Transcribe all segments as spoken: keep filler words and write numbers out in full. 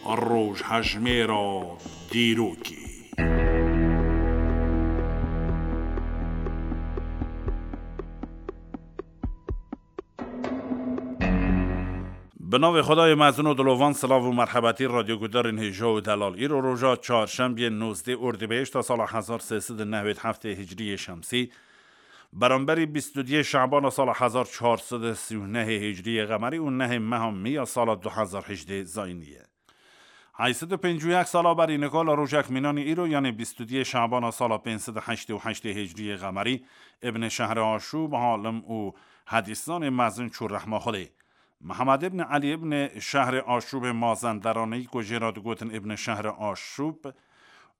Rojhejmêra dîrokê. Bi navê Xwedayê mezin û dilovan, silav û merhebetî radyogudarên hêja û delal. Îro roja çarşembiyê nozdeh Ordîbehişta sala hezar sê sed û newêd heftê hicriyê şemsî, beramberî bîst û duyê Şebana sala hezar çar sed û sî û nehê hicriyê qemerî û nehê meha Miya sala du hezar hejdeh zayînî ye. Heyt sed û pêncî û yek sala berî nika li rojek mînanî îro, yanê bîst û duyê Şebana sala pênc sed û heştê û heştê hicriyê qemerî, Îbn Şehri Aşûb, alim û hedîsanê mezin çû rehma Xwedê. Mihemed Îbn Elî Îbn Şehri Aşûbê Mazenderanî, ku jê re digotin Îbn Şehri Aşûb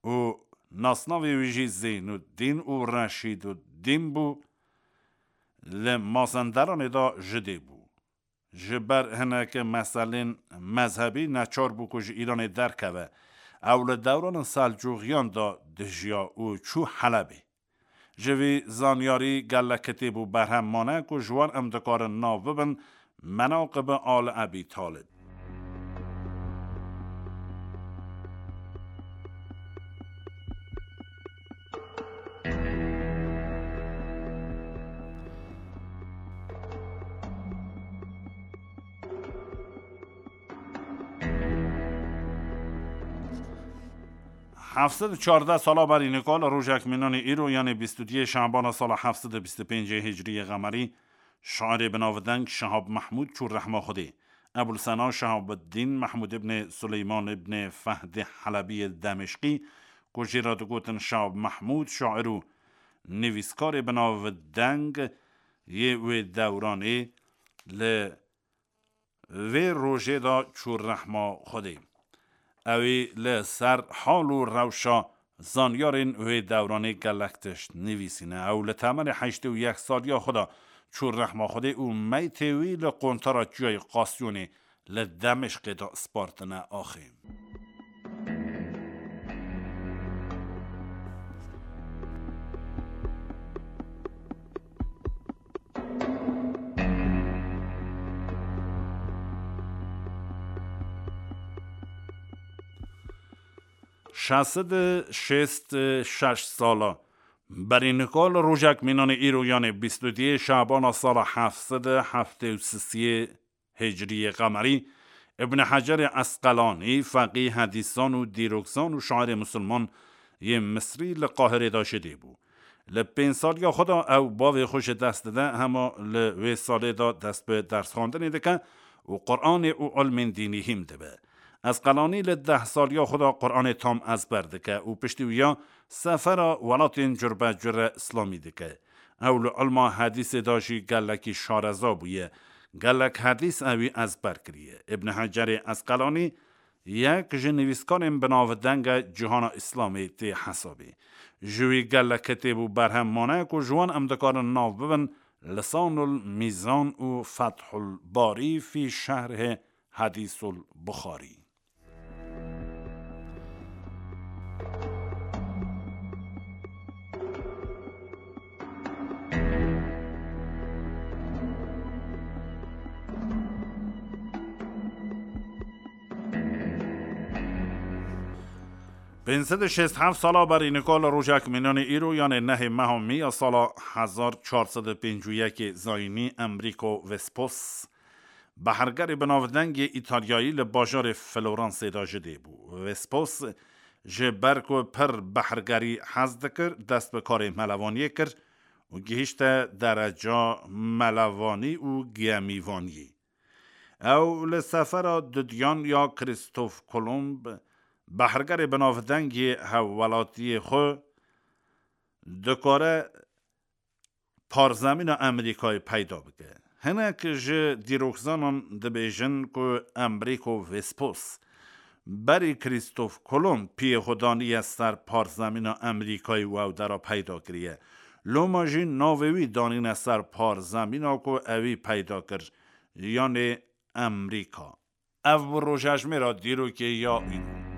û nasnavê wî jî Zeynûddîn û Reşîduddîn bû, li Mazenderanê de ji dê bû. Ji ber hineke meselên mezhebî neçar bû ku ji Îranê derkeve. Ew li dewranên Selcûxiyan de dijiya û çû Helebê. Ji vî zanyarî gelek kitêb û berhem mane ku ji wan em dikarin nav bibin, Menaqib Al Ebî Talib. Heft sed û çardeh sala berî nika li rojek mînanî îro, yanê bîst û duyê Şebana sala heft sed û bîst û pêncê hicriyê qemerî, şairê binavdeng Şehab Mehmûd çû rehma Xwedê. Ebul Sena Şehabuddîn Mehmûd îbnê Suleyman îbnê Fehdê Helebiyê Demişqî, ku jê re digotin Şehab Mehmûd, şair û nivîskarê binavdeng yê wê dewranê, li vê rojê de çû rehma Xwedê. Ewî li ser hal û rewşa zanyarên wê dewranê gelek tişt nivîsîne. Ew li temenê heştê û yek saliya xwe de çû rehma Xwedê û meytê wî li qontara Çiyayê Qasyonê li Demişqê de spartine axê. Şeş sed û şêst û şeş sala berî nika li rojek mînanê îro, yanê bîst û duyê Şebana sala heft sed û heftê û sisiyê hicriyê qemerî, Îbn Hecerê Esqelanî, feqî, hedîsan û dîrokzan û şairê misilman yê Misrî li Qahirê de ji dê bû. Li pênc saliya xwe de ew bavê xwe ji dest dide, hema li wê salê de dest bi dersxwendinê dike û Quranê û ilmên dînî hîm dibe. Esqelanî li deh saliya xwe de Quranê tam ezber dike û piştî wiya sefera welatên curbecure îslamî dike. Ew li ilma hedîsê de jî gelekî şareza bûye. Gelek hedîs ewî ezber kiriye. Îbn Hecerê Esqelanî yek ji nivîskarên binavdeng e cîhana Îslamê tê hesabê. Ji wî gelek kitêb û berhem mane ku ji wan em dikarin nav bibin, Lisanul Mîzan û Fethul Barî fî Şerhê Hedîsul Buxarî. Pênc sed û şêst heft sala berî nika li rojek mînanê îro, yanê nehê meha Mî ya sala hezar çar sed û pêncî û yekê zayînî, Enrico Vespucci, behrgerê binavdeng yê Îtalyayî li bajarê Floransê de ji dê bû. Vespucci ji ber ku pir behrgerî hez dikir, dest bi karê melevaniyê kir û gihîşte dereca melevanî û gemîvaniyê. Ew li sefera dudiyan ya Krîstof Kolomb, behrgerê binavdeng yê hevwelatiyê xwe, dikare parzemîna Amerîkayê peyda bike. Hinek ji dîrokzanan dibêjin ku Enrico Vespucci berî Krîstof Kolomb piyê xwe daniye ser parzemîna Amerîkayê û ew dera peyda kiriye. Loma jî navê wî danîne ser parzemîna ku ewî peyda kir, yanê Amerîka. Ev bû rojejmêra dîrokê ya îro.